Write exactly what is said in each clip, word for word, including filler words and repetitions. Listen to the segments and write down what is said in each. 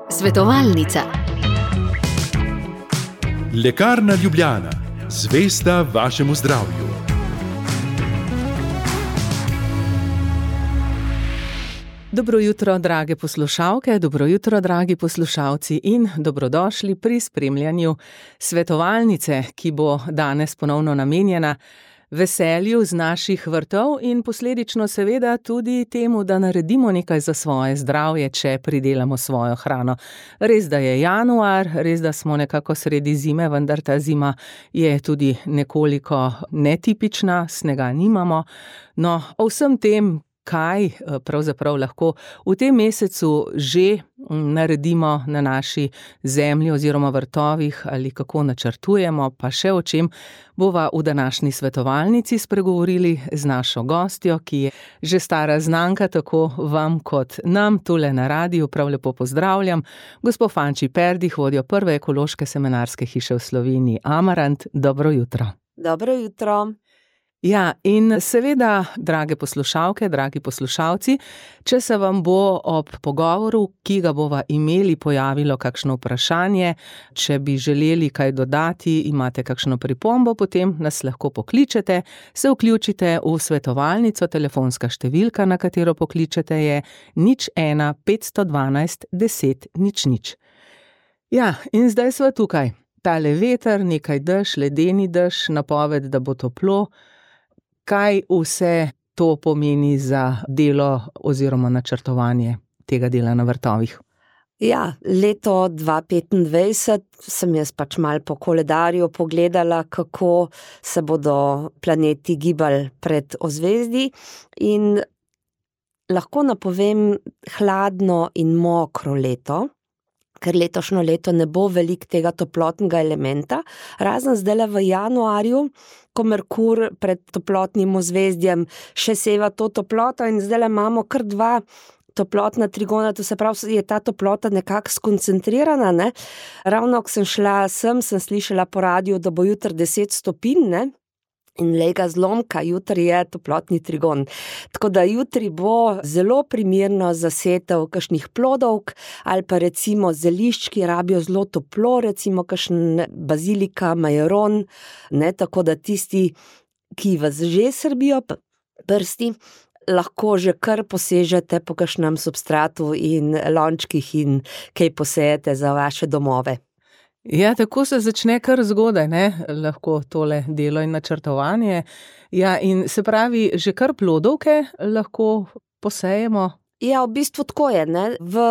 Svetovalnica. Lekarna Ljubljana, zvesta vašemu zdravju. Dobro jutro, drage poslušalke, dobro jutro, dragi poslušalci in dobrodošli pri spremljanju svetovalnice, ki bo danes ponovno namenjena veselju z naših vrtov in posledično seveda tudi temu, da naredimo nekaj za svoje zdravje, če pridelamo svojo hrano. Res, da je januar, res, da smo nekako sredi zime, vendar ta zima je tudi nekoliko netipična, snega nimamo. No, o vsem tem, kaj pravzaprav lahko v tem mesecu že naredimo na naši zemlji oziroma vrtovih ali kako načrtujemo, pa še o čem bova v današnji svetovalnici spregovorili z našo gostjo, ki je že stara znanka tako vam kot nam tule na radiju. Prav lepo pozdravljam gospo Fanči Perdih, vodjo prve ekološke semenarske hiše v Sloveniji Amarant. Dobro jutro. Dobro jutro. Ja, in seveda, drage poslušalke, dragi poslušalci, če se vam bo ob pogovoru, ki ga bova imeli, pojavilo kakšno vprašanje, če bi želeli kaj dodati, imate kakšno pripombo, potem nas lahko pokličete, se vključite v svetovalnico, telefonska številka, na katero pokličete, je nič ena petsto dvanajst deset nič nič. Ja, in zdaj sva tukaj. Tale veter, nekaj dež, ledeni dež, napoved, da bo toplo. Kaj vse to pomeni za delo oziroma načrtovanje tega dela na vrtovih? Ja, leto dva petindvajset sem jaz pač malo po koledarju pogledala, kako se bodo planeti gibali pred ozvezdji in lahko napovem hladno in mokro leto, ker letošnjo leto ne bo veliko tega toplotnega elementa, razen zdajle v januarju, ko Merkur pred toplotnim ozvezdjem še seva to toploto in zdajle imamo kar dva toplotna trigona, to se pravi, je ta toplota nekako skoncentrirana, ne. Ravno, ko sem šla sem, sem slišala po radiju, da bo jutri deset stopinj, ne. In glej ga zlomka, jutri je toplotni trigon. Tako da jutri bo zelo primerno za setev kakšnih plodovk ali pa recimo zelišč, ki rabijo zelo toplo, recimo kakšen bazilika, majaron, ne, tako da tisti, ki vas že srbijo prsti, lahko že kar posežete po kakšnem substratu in lončkih in kaj posejete za vaše domove. Ja, tako se začne kar zgodaj, ne, lahko tole delo in načrtovanje. Ja, in se pravi, že kar plodovke lahko posejemo? Ja, v bistvu tako je, ne, v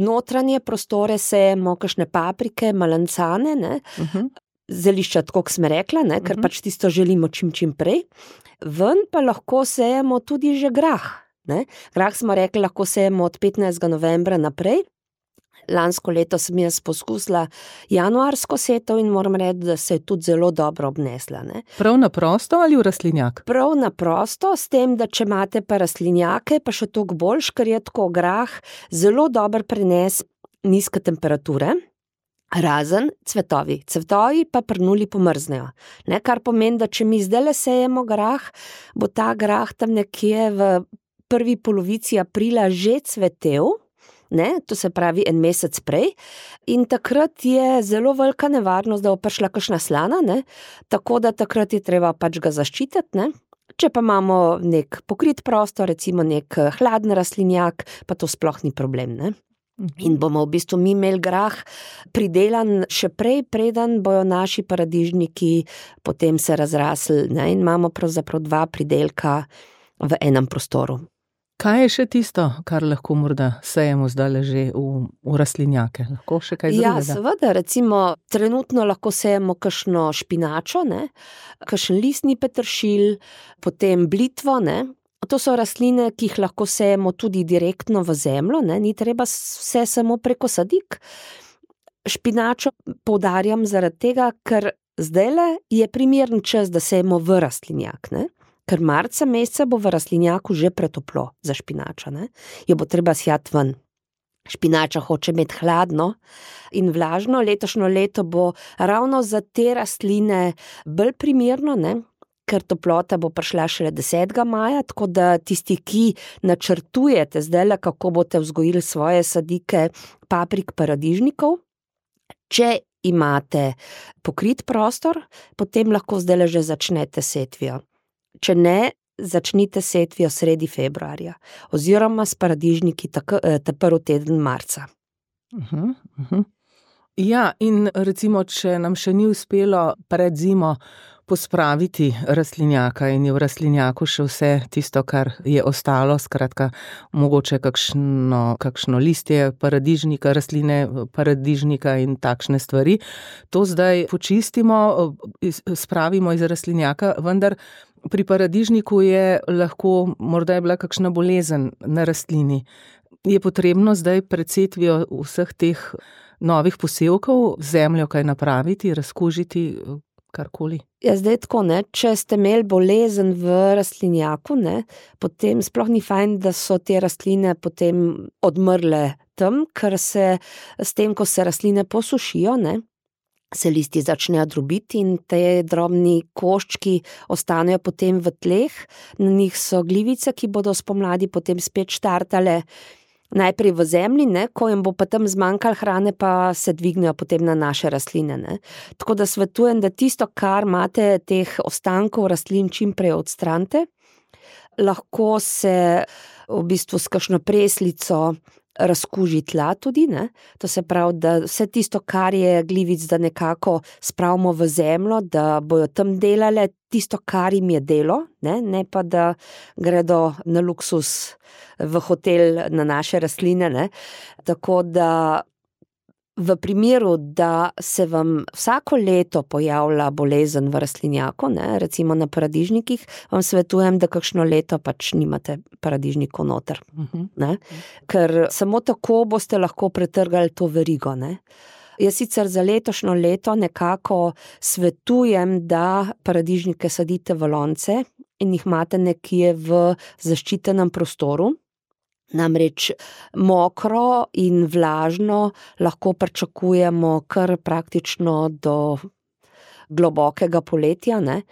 notranje prostore sejemo kakšne paprike, malancane, ne, uh-huh. Zelišča, tako kot sem rekla, ne, ker uh-huh. pač tisto želimo čim čim prej. Ven pa lahko sejemo tudi že grah, ne. Grah smo rekli, lahko sejemo od petnajstega novembra naprej. Lansko leto sem jaz poskusila januarsko setev in moram reči, da se je tudi zelo dobro obnesla, ne. Prav na prosto ali v rastlinjak? Prav na prosto, s tem, da če imate pa rastlinjake, pa še toliko boljš, ker je tako grah zelo dober prenes nizke temperature, razen cvetovi. Cvetovi pa pri nuli pomrznejo, ne, kar pomeni, da če mi zdajle sejemo grah, bo ta grah tam nekje v prvi polovici aprila že cvetel, ne, to se pravi en mesec prej, in takrat je zelo velika nevarnost, da bo prišla kakšna slana, ne, tako da takrat je treba pač ga zaščititi, ne. Če pa imamo nek pokrit prostor, recimo nek hladen rastlinjak, pa to sploh ni problem, ne. In bomo v bistvu mi imeli grah pridelan še prej, preden bojo naši paradižniki potem se razrasli, ne, in imamo pravzaprav dva pridelka v enem prostoru. Kaj je še tisto, kar lahko morda sejemo zdaj že v, v rastlinjake? Lahko še kaj drugega? Ja, seveda, recimo trenutno lahko sejemo kakšno špinačo, ne, kakšen listni peteršilj, potem blitvo, ne. To so rastline, ki jih lahko sejemo tudi direktno v zemljo, ne, ni treba vse samo preko sadik. Špinačo poudarjam zaradi tega, ker zdajle je primeren čas, da sejemo v rastlinjak, ne. Ker marca meseca bo v rastlinjaku že pretoplo za špinačo, ne, jo bo treba sjati ven. Špinača hoče imeti hladno in vlažno, letošnjo leto bo ravno za te rastline bolj primerno, ne, ker toplota bo prišla šele desetega maja, tako da tisti, ki načrtujete zdajle, kako boste vzgojili svoje sadike paprik, paradižnikov, če imate pokrit prostor, potem lahko zdajle že začnete setvijo. Če ne, začnite setvijo sredi februarja, oziroma s paradižniki ta prvi teden marca. Uh-huh, uh-huh. Ja, in recimo, če nam še ni uspelo pred zimo pospraviti rastlinjaka in je v rastlinjaku še vse tisto, kar je ostalo, skratka, mogoče kakšno, kakšno listje paradižnika, rastline paradižnika in takšne stvari, to zdaj počistimo, spravimo iz rastlinjaka, vendar pri paradižniku je lahko, morda je bila kakšna bolezen na rastlini. Je potrebno zdaj pred setvijo vseh teh novih posevkov zemljo kaj napraviti, razkužiti, karkoli? Ja, zdaj tako, ne, če ste imeli bolezen v rastlinjaku, ne, potem sploh ni fajn, da so te rastline potem odmrle tam, ker se s tem, ko se rastline posušijo, ne, se listi začnejo drobiti in te drobni koščki ostanejo potem v tleh, na njih so glivice, ki bodo spomladi potem spet štartale najprej v zemlji, ne, ko jim bo pa tam zmanjkalo hrane, pa se dvignejo potem na naše rastline, ne. Tako da svetujem, da tisto, kar imate teh ostankov rastlin, čim prej odstranite. Lahko se v bistvu s kakšno preslico razkuži tla tudi, ne. To se pravi, da vse tisto, kar je glivic, da nekako spravimo v zemljo, da bojo tam delale tisto, kar jim je delo, ne, ne pa da gredo na luksus v hotel na naše rastline, ne. Tako da v primeru, da se vam vsako leto pojavlja bolezen v rastlinjaku, ne, recimo na paradižnikih, vam svetujem, da kakšno leto pač nimate paradižnikov noter, uh-huh. ne. Ker samo tako boste lahko pretrgali to verigo, ne. Jaz sicer za letošnjo leto nekako svetujem, da paradižnike sadite v lonce in jih imate nekje v zaščitenem prostoru. Namreč mokro in vlažno lahko pričakujemo kar praktično do globokega poletja, ne.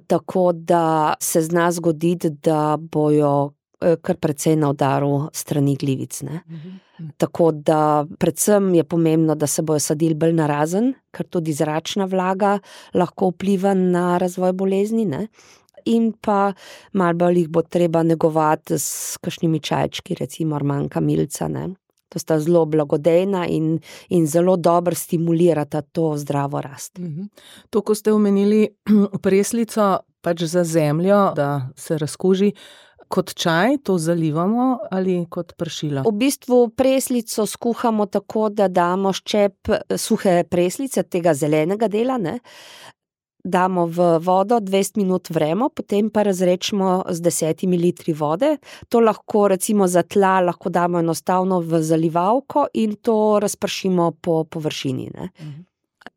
Tako da se zna zgoditi, da bojo kar precej na udaru strani glivic, ne. Mhm. Tako da predvsem je pomembno, da se bojo sadili bolj narazen, ker tudi zračna vlaga lahko vpliva na razvoj bolezni, ne. In pa malo bolj jih bo treba negovati s kakšnimi čajčki, recimo rmanka milca, ne. To sta zelo blagodejna in, in zelo dobro stimulirata to zdravo rast. Mhm. To, ko ste omenili preslico pač za zemljo, da se razkuži, kot čaj to zalivamo ali kot pršilo? V bistvu preslico skuhamo tako, da damo ščep suhe preslice, tega zelenega dela, ne. Damo v vodo, dvajset minut vremo, potem pa razrečemo z desetimi litri vode. To lahko recimo za tla lahko damo enostavno v zalivalko in to razpršimo po površini, ne. Mhm.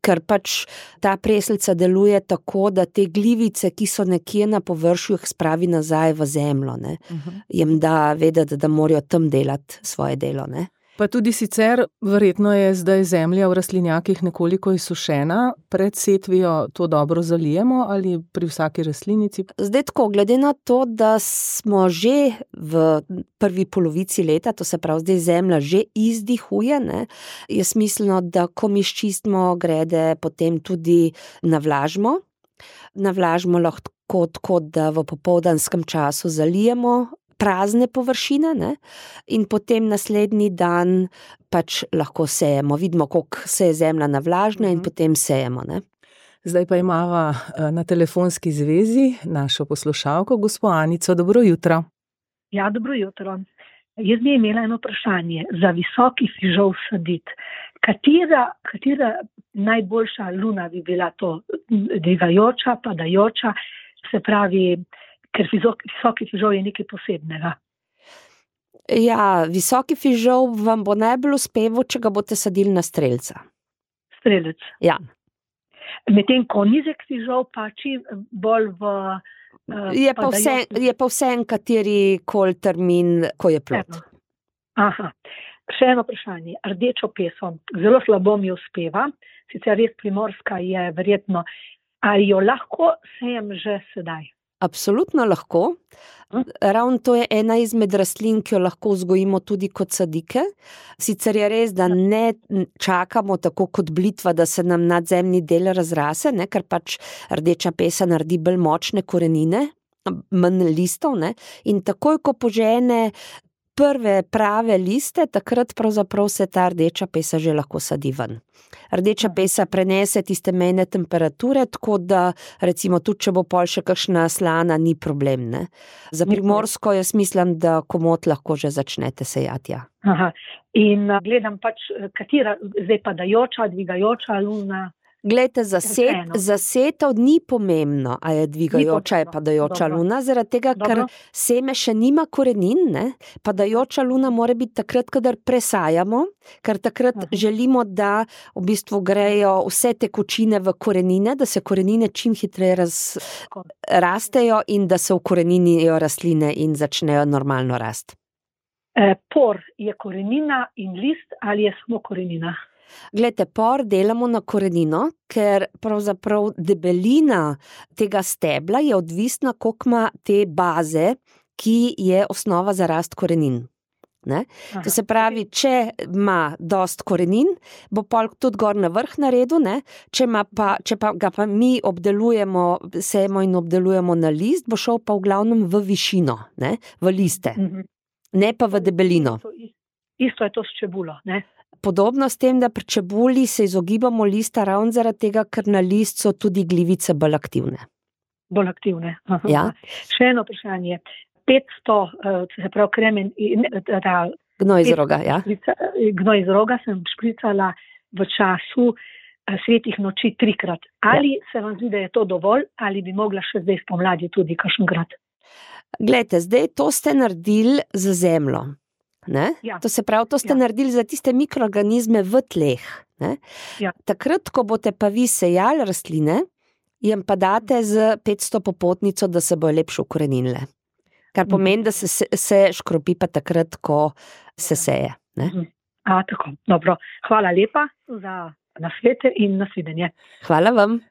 Ker pač ta preslica deluje tako, da te glivice, ki so nekje na površju, jih spravi nazaj v zemljo, ne. Uh-huh. Jim da vedeti, da morajo tam delati svoje delo, ne. Pa tudi sicer, verjetno je zdaj zemlja v rastlinjakih nekoliko izsušena, pred setvijo to dobro zalijemo ali pri vsaki rastlinici? Zdaj tako, glede na to, da smo že v prvi polovici leta, to se pravi, zdaj zemlja že izdihuje, ne, je smiselno, da ko mi ščistimo grede, potem tudi navlažimo. Navlažimo lahko tako, da v popoldanskem času zalijemo prazne površine, ne, in potem naslednji dan pač lahko sejemo. Vidimo, koliko se je zemlja navlažna in potem sejemo, ne. Zdaj pa imava na telefonski zvezi našo poslušalko, gospo Anico. Dobro jutro. Ja, dobro jutro. Jaz bi imela eno vprašanje. Za visoki fižol saditi. Katera, katera najboljša luna bi bila to? Dvigajoča, padajoča, se pravi, ker visoki fižol je nekaj posebnega. Ja, visoki fižol vam bo najbolj uspeval, če ga boste sadili na strelca. Strelec? Ja. Medtem ko nizek fižol pa čim bolj v uh, je, pa vse, je pa vse en kateri kol termin, ko je plod. Aha. Še eno vprašanje. Rdečo peso. Zelo slabo mi uspeva. Sicer res primorska je verjetno. ali jo lahko sejem že sedaj? Absolutno lahko. Ravno to je ena izmed rastlin, ki jo lahko vzgojimo tudi kot sadike. Sicer je res, da ne čakamo tako kot blitva, da se nam nadzemni del razrase, ne, ker pač rdeča pesa naredi bolj močne korenine, manj listov, ne, in takoj, ko požene prve prave liste, takrat pravzaprav se ta rdeča pesa že lahko sadi ven. Rdeča pesa prenese tiste mejne temperature, tako da recimo tudi, če bo pol še kakšna slana, ni problem, ne. Za primorsko jaz mislim, da komot lahko že začnete sejati, ja. Aha. In gledam pač, katera, zdaj padajoča, dvigajoča luna. Glejte, za, set, za setov ni pomembno, a je dvigajoča, je padajoča Dobro. luna, zaradi tega, ker Dobro. seme še nima korenin, ne? Padajoča luna mora biti takrat, kadar presajamo, ker takrat Aha. želimo, da v bistvu grejo vse tekočine v korenine, da se korenine čim hitreje raz, rastejo in da se ukoreninijo rastline in začnejo normalno rast. E, por je korenina in list ali je samo korenina? Glejte, por delamo na korenino, ker pravzaprav debelina tega stebla je odvisna, koliko ima te baze, ki je osnova za rast korenin. Ne? To se pravi, če ima dost korenin, bo pol tudi gor na vrh naredil, ne? Če, pa, če pa ga pa mi obdelujemo, sejemo in obdelujemo na list, bo šel pa v glavnem v višino, ne? V liste, Mhm. ne pa v debelino. Isto, isto je to s čebulo, ne? Podobno s tem, da pri čebuli se izogibamo lista ravno zaradi tega, ker na list so tudi glivice bolj aktivne. Bolj aktivne. Aha. Ja. Še eno vprašanje. petsto, se pravi kremen, ta Gnoj iz roga, ja. šprica, gnoj iz roga sem špricala v času svetih noči trikrat. Ali ja. se vam zdi, da je to dovolj, ali bi mogla še zdaj spomladi tudi kakšenkrat? Glejte, zdaj to ste naredili za zemljo. Ne? Ja. To se pravi, to ste Ja. naredili za tiste mikroorganizme v tleh. Ne? Ja. Takrat, ko boste pa vi sejali rastline, jim pa date z petsto popotnico, da se bojo lepše ukoreninile. Kar pomeni, da se, se škropi pa takrat, ko se seje. Ne? A, tako, dobro. Hvala lepa za nasvete in nasvidenje. Hvala vam.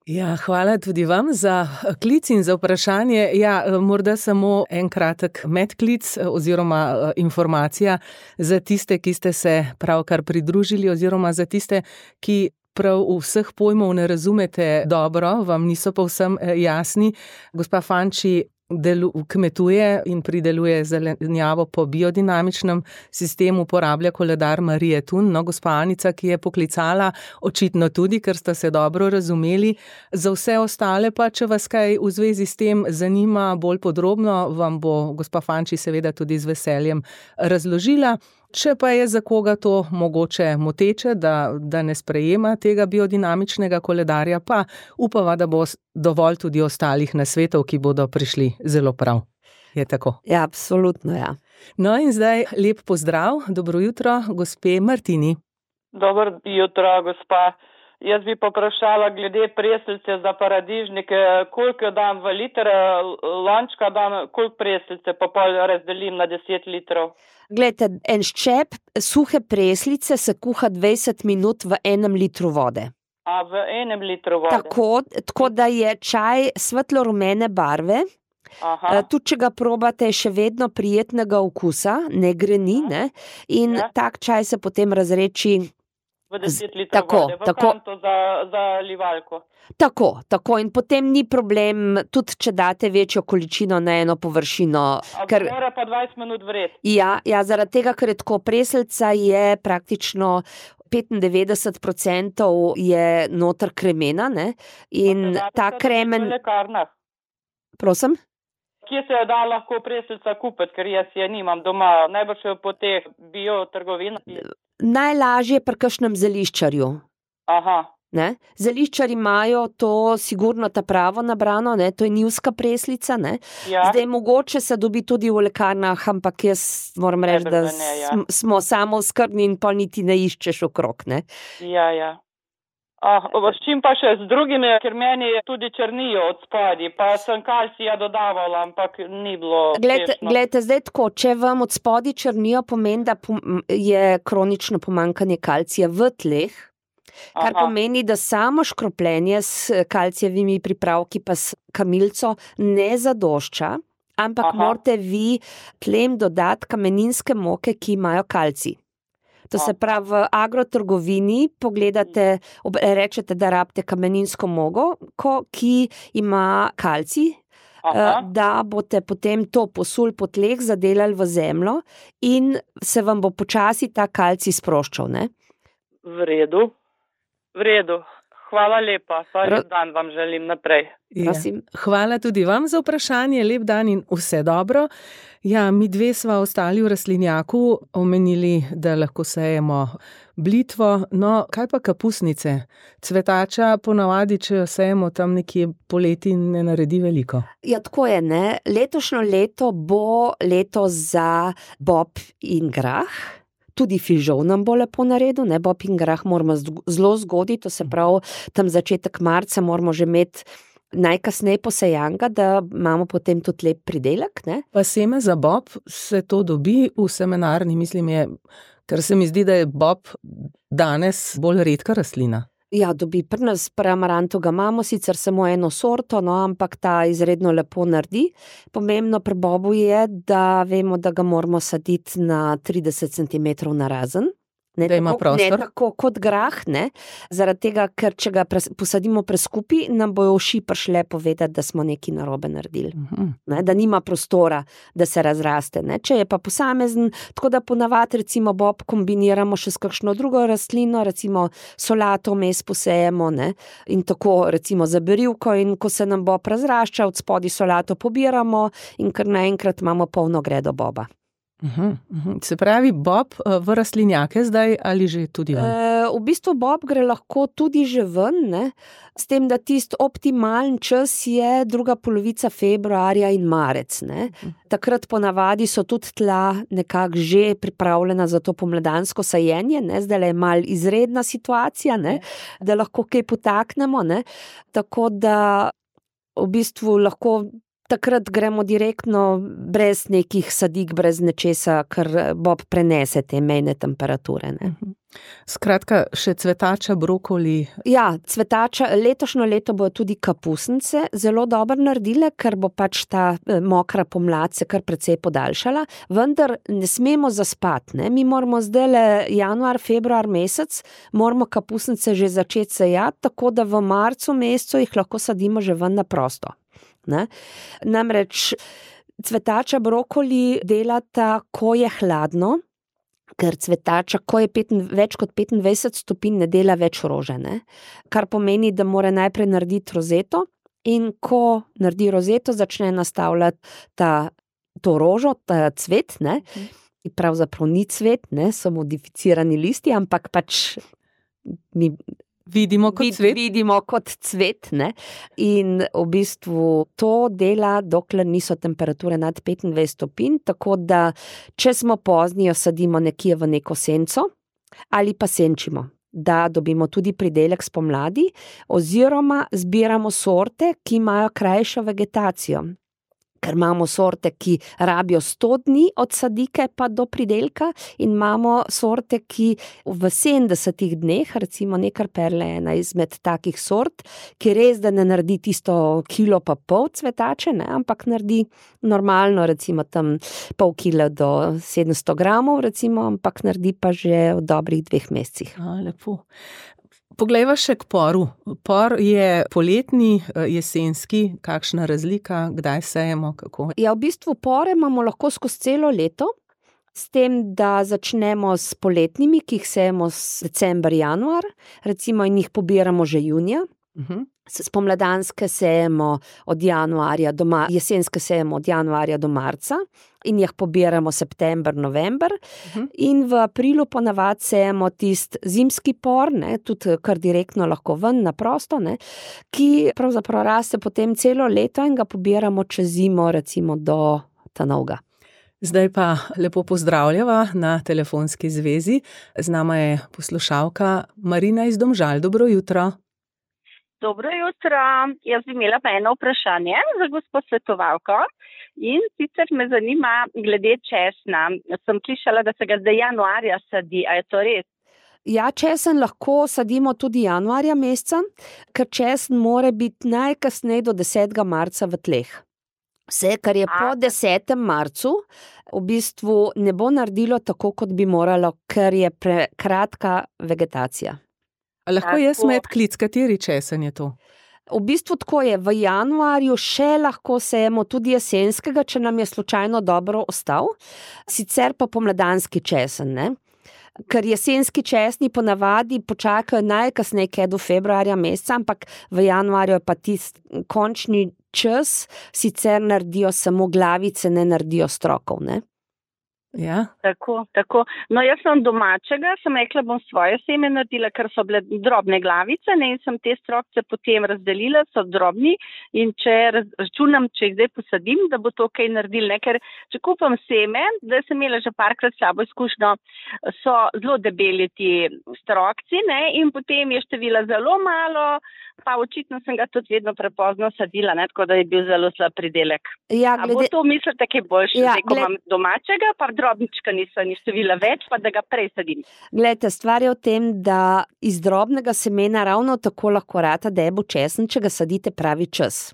Ja, hvala tudi vam za klic in za vprašanje. Ja, morda samo en kratek medklic oziroma informacija za tiste, ki ste se pravkar pridružili oziroma za tiste, ki prav vseh pojmov ne razumete dobro, vam niso povsem jasni. Gospa Fanči delu, kmetuje in prideluje zelenjavo po biodinamičnem sistemu, uporablja koledar Marije Tun. No, gospa Anica, ki je poklicala, očitno tudi, ker sta se dobro razumeli. Za vse ostale pa, če vas kaj v zvezi s tem zanima bolj podrobno, vam bo gospa Fanči seveda tudi z veseljem razložila. Če pa je za koga to mogoče moteče, da, da ne sprejema tega biodinamičnega koledarja, pa upava, da bo dovolj tudi ostalih nasvetov, ki bodo prišli zelo prav. Je tako? Ja, absolutno, ja. No in zdaj lep pozdrav, dobro jutro, gospe Martini. Dobro jutro, gospa. Jaz bi poprašala glede preslice za paradižnike, koliko dam v liter, lončka dam, koliko preslice, pa pol razdelim na deset litrov. Glejte, en ščep suhe preslice se kuha dvajset minut v enem litru vode. A v enem litru vode? Tako, tako da je čaj svetlo-rumene barve. Aha. Tudi, če ga probate, je še vedno prijetnega okusa, ne greni, ne? In Ja. tak čaj se potem razreči. V deset litrov tako, vode, v tako. kanto za, za livalko. Tako, tako in potem ni problem, tudi če date večjo količino na eno površino. A Ker, mora pa dvajset minut vreti. ja, ja, zaradi tega, ker je tako preslica, je praktično petindevetdeset procentov je noter kremena, ne? In Pa se da ta to kremen, v lekarnah. prosim? Kje se jo da lahko preslica kupiti, ker jaz je nimam doma, najbolj še po teh biotrgovinah. Najlažje pri kakšnem zeliščarju. Aha. Ne? Zeliščari imajo to sigurno ta pravo nabrano, ne? To je njivska preslica. Ne? Ja. Zdaj mogoče se dobi tudi v lekarnah, ampak jaz moram reči, da Najbrž, da ne, ja. sm- smo samo skrbni in pa niti ne iščeš okrog. Ne? Ja, ja. Ah, s čim pa še z drugimi, ker meni tudi črnijo od spadi, pa sem kalcija dodavala, ampak ni bilo Glejte, uspešno. glejte, zdaj tako, če vam od spodi črnijo, pomeni, da pom- je kronično pomanjkanje kalcija v tleh. Kar Aha. pomeni, da samo škropljenje s kalcijevimi pripravki pa s kamilico ne zadošča, ampak Aha. morate vi tlem dodati kameninske moke, ki imajo kalcij. To se Aha. pravi, v agrotrgovini pogledate, ob- rečete, da rabite kameninsko mogo, ko, ki ima kalcij, Aha. eh, da boste potem to posul po tleh, zadelali v zemljo in se vam bo počasi ta kalcij sproščal, ne? V redu. V redu. Hvala lepa. Pa Ra- lep dan vam želim naprej. Ja. Prosim. Hvala tudi vam za vprašanje, lep dan in vse dobro. Ja, mi dve sva ostali v rastlinjaku omenili, da lahko sejemo blitvo, no kaj pa kapusnice? Cvetača ponavadi, če jo sejemo tam nekje poleti, ne naredi veliko. Ja, tako je, ne. Letošnjo leto bo leto za bob in grah. Tudi fižol nam bo lepo naredil, ne, bob in grah moramo zd- zelo zgodaj, to se pravi, tam začetek marca moramo že imeti najkasneje posejanga, da imamo potem tudi lep pridelek, ne. Pa seme za bob se to dobi v semenarni, mislim je, ker se mi zdi, da je bob danes bolj redka rastlina. Ja, dobi pri nas, pri amarantu ga imamo sicer samo eno sorto, no, ampak ta izredno lepo naredi. Pomembno pri bobu je, da vemo, da ga moramo saditi na trideset centimetrov narazen. Ne Da ima tako, prostor. Ne tako kot grah, ne, zaradi tega, ker če ga pres, posadimo preskupi, nam bojo uši prišle povedati, da smo nekaj narobe naredili. Mhm. Ne, da nima prostora, da se razraste. Ne. Če je pa posamezen, tako da ponavadi recimo bob kombiniramo še s kakšno drugo rastlino, recimo solato vmes posejemo, ne, in tako recimo za berivko, in ko se nam bob razrašča, od spodaj solato pobiramo in kar naenkrat imamo polno gredo boba. Mhm, mhm. Se pravi, bob eh, v rastlinjake zdaj ali že tudi ven? E, v bistvu bob gre lahko tudi že ven, ne, s tem, da tisti optimalen čas je druga polovica februarja in marec, ne. Takrat ponavadi so tudi tla nekako že pripravljena za to pomladansko sajenje, ne, zdaj je mal izredna situacija, ne, da lahko kaj potaknemo, ne, tako da v bistvu lahko takrat gremo direktno brez nekih sadik, brez nečesa, ker bob prenese te mejne temperature, ne. Skratka, še cvetača, brokoli. Ja, cvetača, letošnjo leto bojo tudi kapusnice zelo dobro naredile, ker bo pač ta eh, mokra pomlad se kar precej podaljšala, vendar ne smemo zaspati, ne. Mi moramo zdajle januar, februar mesec, moramo kapusnice že začeti sejati, tako da v marcu mesecu jih lahko sadimo že ven na prosto. Ne? Namreč cvetača, brokoli delata, ko je hladno, ker cvetača, ko je peten, več kot petindvajset stopinj, ne dela več rože, ne? Kar pomeni, da mora najprej narediti rozeto, in ko naredi rozeto, začne nastavljati ta, to rožo, ta cvet, ne? In pravzaprav ni cvet, ne? So modificirani listi, ampak pač mi Vidimo kot vid- cvet. vidimo kot cvet, ne? In v bistvu to dela, dokler niso temperature nad petindvajset stopinj, tako da če smo pozni, jo sadimo nekje v neko senco ali pa senčimo, da dobimo tudi pridelek spomladi, oziroma zbiramo sorte, ki imajo krajšo vegetacijo. Ker imamo sorte, ki rabijo sto dni od sadike pa do pridelka, in imamo sorte, ki v sedemdesetih dneh, recimo Nekar Perle je ena izmed takih sort, ki res, da ne naredi tisto kilo pa pol cvetače, ne, ampak naredi normalno, recimo tam pol kila do sedemsto gramov, recimo, ampak naredi pa že v dobrih dveh mesecih. A, lepo. Poglejva še k poru. Por je poletni, eh, jesenski, kakšna razlika, kdaj sejemo, kako? Ja, v bistvu pore imamo lahko skozi celo leto, s tem, da začnemo s poletnimi, ki jih sejemo s december, januar, recimo, in jih pobiramo že junija. Mhm. Spomladanske sejemo od januarja do ma- jesenske sejemo od januarja do marca in jih pobiramo september, november. Mhm. In v aprilu ponavadi sejemo tisti zimski por, ne, tudi kar direktno lahko ven na prosto, ne, ki pravzaprav raste potem celo leto in ga pobiramo čez zimo, recimo do ta novega. Zdaj pa lepo pozdravljava na telefonski zvezi. Z nama je poslušalka Marina iz Domžal. Dobro jutro. Dobro jutro. Jaz bi imela pa eno vprašanje za gospo svetovalko, in sicer me zanima glede česna. Sem slišala, da se ga zdaj januarja sadi, a je to res? Ja, česen lahko sadimo tudi januarja meseca, ker česen mora biti najkasneje do desetega marca v tleh. Vse, kar je po desetem marcu, v bistvu ne bo naredilo tako, kot bi moralo, ker je prekratka vegetacija. A lahko jaz med klic, kateri česen je to? V bistvu tako je, v januarju še lahko sejemo tudi jesenskega, če nam je slučajno dobro ostal, sicer pa pomladanski česen, ne? Ker jesenski česni ponavadi počakajo najkasneje kaj do februarja meseca, ampak v januarju je pa tisti končni čas, sicer naredijo samo glavice, ne naredijo strokov, ne? Ja. Tako, tako. No, jaz sem domačega, sem rekla, bom svoje seme naredila, ker so bile drobne glavice, ne, in sem te strokce potem razdelila, so drobni, in če računam, če jih zdaj posadim, da bo to kaj naredil, ne, ker če kupam seme, da sem imela že parkrat s sabo izkušnjo, so zelo debeli ti strokci, ne, in potem je števila zelo malo, pa očitno sem ga tudi vedno prepozno sadila, ne, tako da je bil zelo slab pridelek. Ja, glede... A bo to mislite, kaj boljše, ja, zdaj, ko gled... imam domačega, pa drobnička niso ni števila več, pa da ga prej sadim. Glejte, stvar je v tem, da iz drobnega semena ravno tako lahko rata debel česen, če ga sadite pravi čas.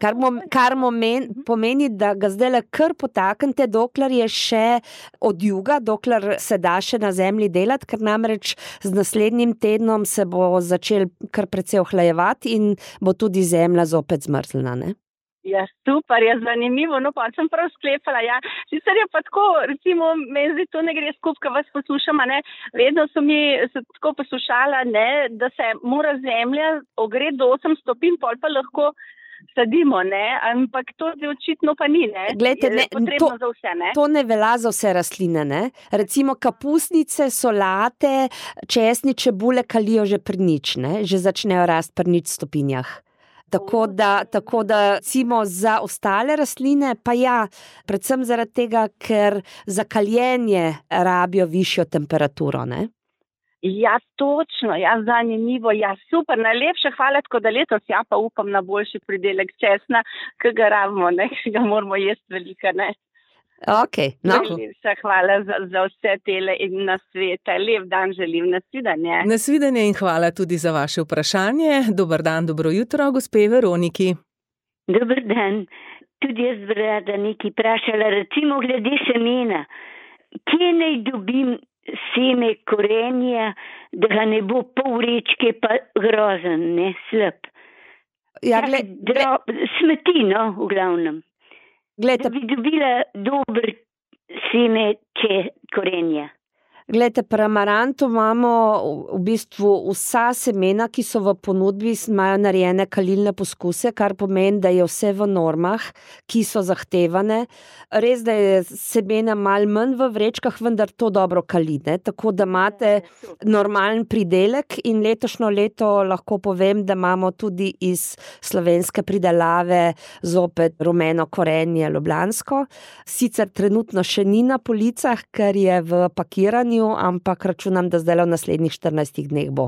Kar, mom, kar momen, pomeni, da ga zdaj le kar potaknete, dokler je še od juga, dokler se da še na zemlji delati, ker namreč z naslednjim tednom se bo začel kar precej ohlajevati in bo tudi zemlja zopet zmrzlena, ne? Ja, super, je zanimivo, no pa sem prav sklepala, ja, sicer je pa tako, recimo, meni zdaj to ne gre skup, ko vas poslušam, ne, vedno so mi se tako poslušala, ne, da se mora zemlja ogreti do osem stopinj, pol pa lahko sadimo, ne, ampak to zdaj očitno pa ni, ne, Glejte, ne, potrebno to, za vse, ne. To ne velja za vse rastline, ne, recimo kapusnice, solate, česni, čebule kalijo že pri nič, ne, že začnejo rasti pri nič stopinjah. Tako da, tako da, recimo za ostale rastline, pa ja, predvsem zaradi tega, ker za kaljenje rabijo višjo temperaturo, ne? Ja, točno, ja, zanimivo, ja, super, najlepša hvala, tako da letos, ja, pa upam na boljši pridelek česna, ki ga rabimo, ne, ki ga moramo jesti velika, ne. Ok, no. Najlepša hvala za, za vse tele in nasvete. Lep dan želim, nasvidenje. Nasvidenje in hvala tudi za vaše vprašanje. Dober dan, dobro jutro, gospe Veroniki. Dober dan. Tudi jaz bi rada nekaj vprašala, recimo glede semena. Kje naj dobim seme korenja, da ga ne bo pol vrečke pa grozen, ne, slab? Ja, gled, Drob, smeti, no, v glavnem. Glejte, da bi dobila dober seme če korenja. Glejte, pri amarantu imamo v bistvu vsa semena, ki so v ponudbi, imajo narejene kalilne poskuse, kar pomeni, da je vse v normah, ki so zahtevane. Res, da je semena malo manj v vrečkah, vendar to dobro kali, ne? Tako da imate normalen pridelek in letošnjo leto lahko povem, da imamo tudi iz slovenske pridelave zopet rumeno korenje ljubljansko. Sicer trenutno še ni na policah, ker je v pakiranju, ampak računam, da zdaj v naslednjih štirinajstih dneh bo.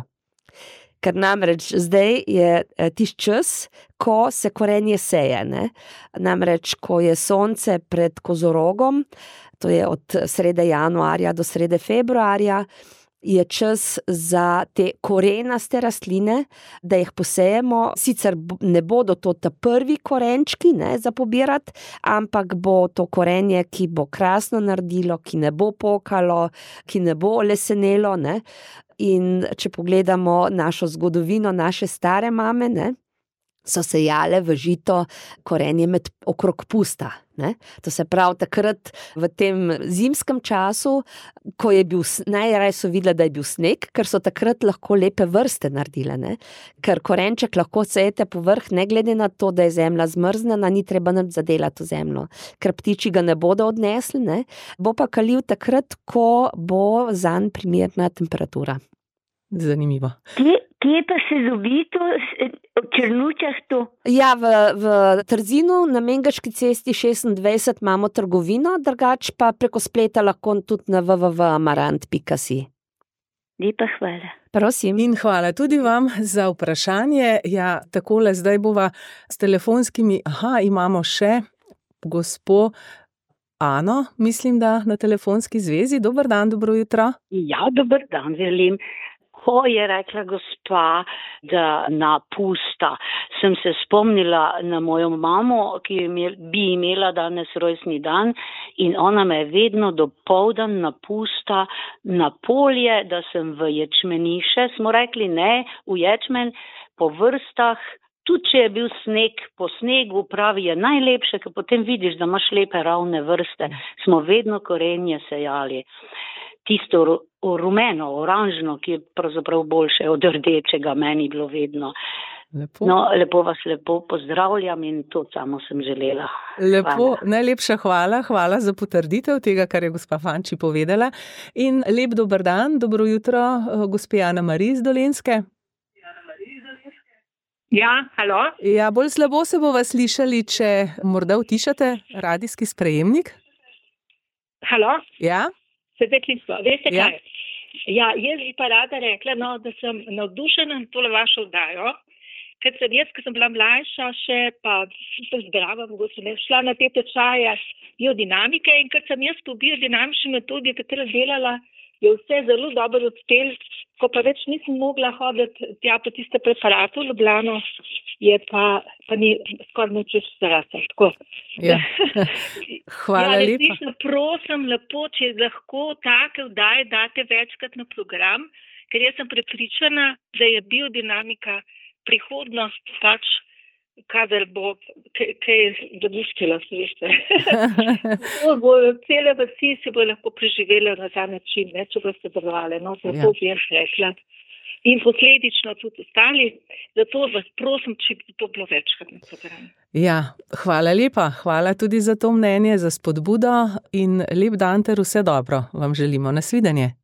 Ker namreč zdaj je tisti čas, ko se korenje seje, ne? Namreč, ko je sonce pred kozorogom, to je od srede januarja do srede februarja, je čas za te korenaste rastline, da jih posejemo. Sicer ne bodo to ta prvi korenčki, ne, za pobirati, ampak bo to korenje, ki bo krasno naredilo, ki ne bo pokalo, ki ne bo lesenelo, ne. In če pogledamo našo zgodovino, naše stare mame, ne, so sejale v žito korenje med okrog pusta, ne. To se pravi takrat v tem zimskem času, ko je bil, najraje so videli, da je bil sneg, ker so takrat lahko lepe vrste naredile, ne. Ker korenček lahko sejete povrh, ne glede na to, da je zemlja zmrznjena, ni treba nič zadelati v zemljo, ker ptiči ga ne bodo odnesli, ne. Bo pa kalil takrat, ko bo zanj primerna temperatura. Zanimivo. Kje, kje pa se dobi to, v Črnučah to? Ja, v, v Trzinu na Mengaški cesti šestindvajset imamo trgovino, drugač pa preko spleta lahko tudi na w w w pika amarant pika si. Lepa hvala. Prosim. In hvala tudi vam za vprašanje. Ja, takole zdaj bova s telefonskimi, aha, imamo še gospo Ano, mislim, da na telefonski zvezi. Dober dan, dobro jutro. Ja, dober dan, želim. Ko je rekla gospa, da na pusta, sem se spomnila na mojo mamo, ki bi imela danes rojstni dan in ona me je vedno dopoldan na pusta na polje, da sem v ječmeniše, smo rekli ne, v ječmen, po vrstah, tudi če je bil sneg, po snegu pravi je najlepše, ker potem vidiš, da imaš lepe ravne vrste, smo vedno korenje sejali. Tisto rumeno, oranžno, ki je pravzaprav boljše od rdečega, meni bilo vedno. Lepo. No, lepo vas lepo pozdravljam in to samo sem želela. Lepo, hvala. Najlepša hvala, hvala za potrditev tega, kar je gospa Fanči povedala. In lep dober dan, dobro jutro, gospe Ana Marij iz Dolenjske. Ja, halo. Ja, bolj slabo se bova slišali, če morda utišate radijski sprejemnik. Halo. Ja. Se deklistvo, veste Ja. kaj? Ja, jaz bi pa rada rekla, no, da sem navdušena na tole vašo oddajo, ker sem jaz, ko sem bila mlajša še, pa zdrava, mogoče ne, šla na te tečaje biodinamike in ker sem jaz po biodinamični metodi takrat delala, je vse zelo dobro odspel, ko pa več nisem mogla hoditi tja po tiste preparate v Ljubljano, je pa, pa ni skoraj nič več zarasla. Tako. Ja. Hvala ja, lepa. resnično prosim lepo, če lahko take vdaje date večkrat na program, ker jaz sem prepričana, da je biodinamika prihodnost pač, kadar bo kaj domišljala, se veste. bo cele vasi se bo lahko preživele na ta način, ne, če boste delovali, no, zato bi jaz rekla. In posledično tudi ostali, zato vas prosim, če bi to bilo večkrat na programu. Ja, hvala lepa, hvala tudi za to mnenje, za spodbudo in lep dan ter vse dobro vam želimo. Nasvidenje.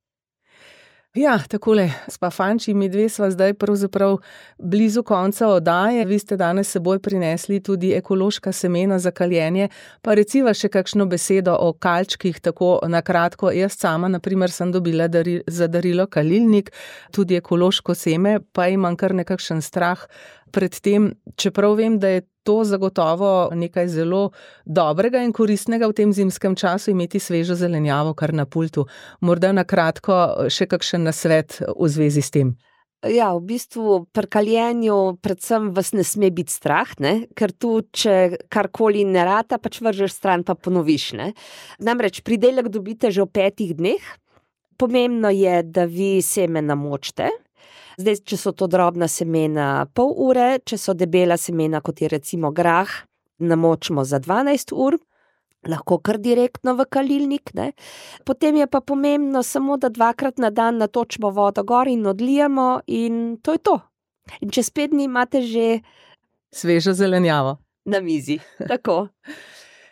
Ja, takole, gospa Fanči, mi dve sva zdaj pravzaprav blizu konca oddaje. Vi ste danes seboj prinesli tudi ekološka semena za kaljenje, pa reciva še kakšno besedo o kalčkih, tako na kratko. Jaz sama, na primer, sem dobila dari, za darilo kalilnik, tudi ekološko seme, pa imam kar nekakšen strah pred tem, čeprav vem, da je to zagotovo nekaj zelo dobrega in koristnega v tem zimskem času imeti svežo zelenjavo kar na pultu. Morda na kratko še kakšen nasvet v zvezi s tem. Ja, v bistvu pri kaljenju predvsem vas ne sme biti strah, ne? Ker tu, če karkoli ne rata, pač vržeš stran pa ponoviš. Ne? Namreč pridelek dobite že v petih dneh. Pomembno je, da vi seme namočite. Zdaj, če so to drobna semena pol ure, če so debela semena, kot je recimo grah, namočimo za dvanajst ur, lahko kar direktno v kalilnik. Ne? Potem je pa pomembno samo, da dvakrat na dan natočimo vodo gor in odlijemo in to je to. In čez pet dni imate že svežo zelenjavo na mizi. Tako.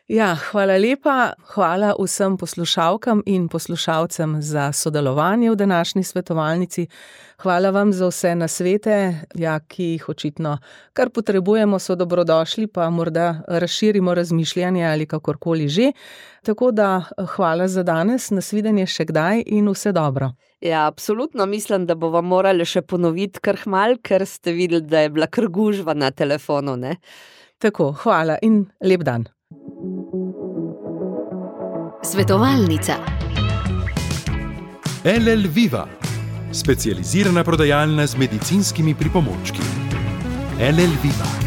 Ja, hvala lepa, hvala vsem poslušalkam in poslušalcem za sodelovanje v današnji svetovalnici. Hvala vam za vse nasvete, ja, ki jih očitno kar potrebujemo, so dobrodošli, pa morda razširimo razmišljanje ali kakorkoli že. Tako da hvala za danes, nasvidenje še kdaj in vse dobro. Ja, absolutno mislim, da bomo morali še ponoviti kar hmal, ker ste videli, da je bila kar gužva na telefonu, ne? Tako, hvala in lep dan. Svetovalnica. L L Viva, specializirana prodajalna z medicinskimi pripomočki. L L Viva.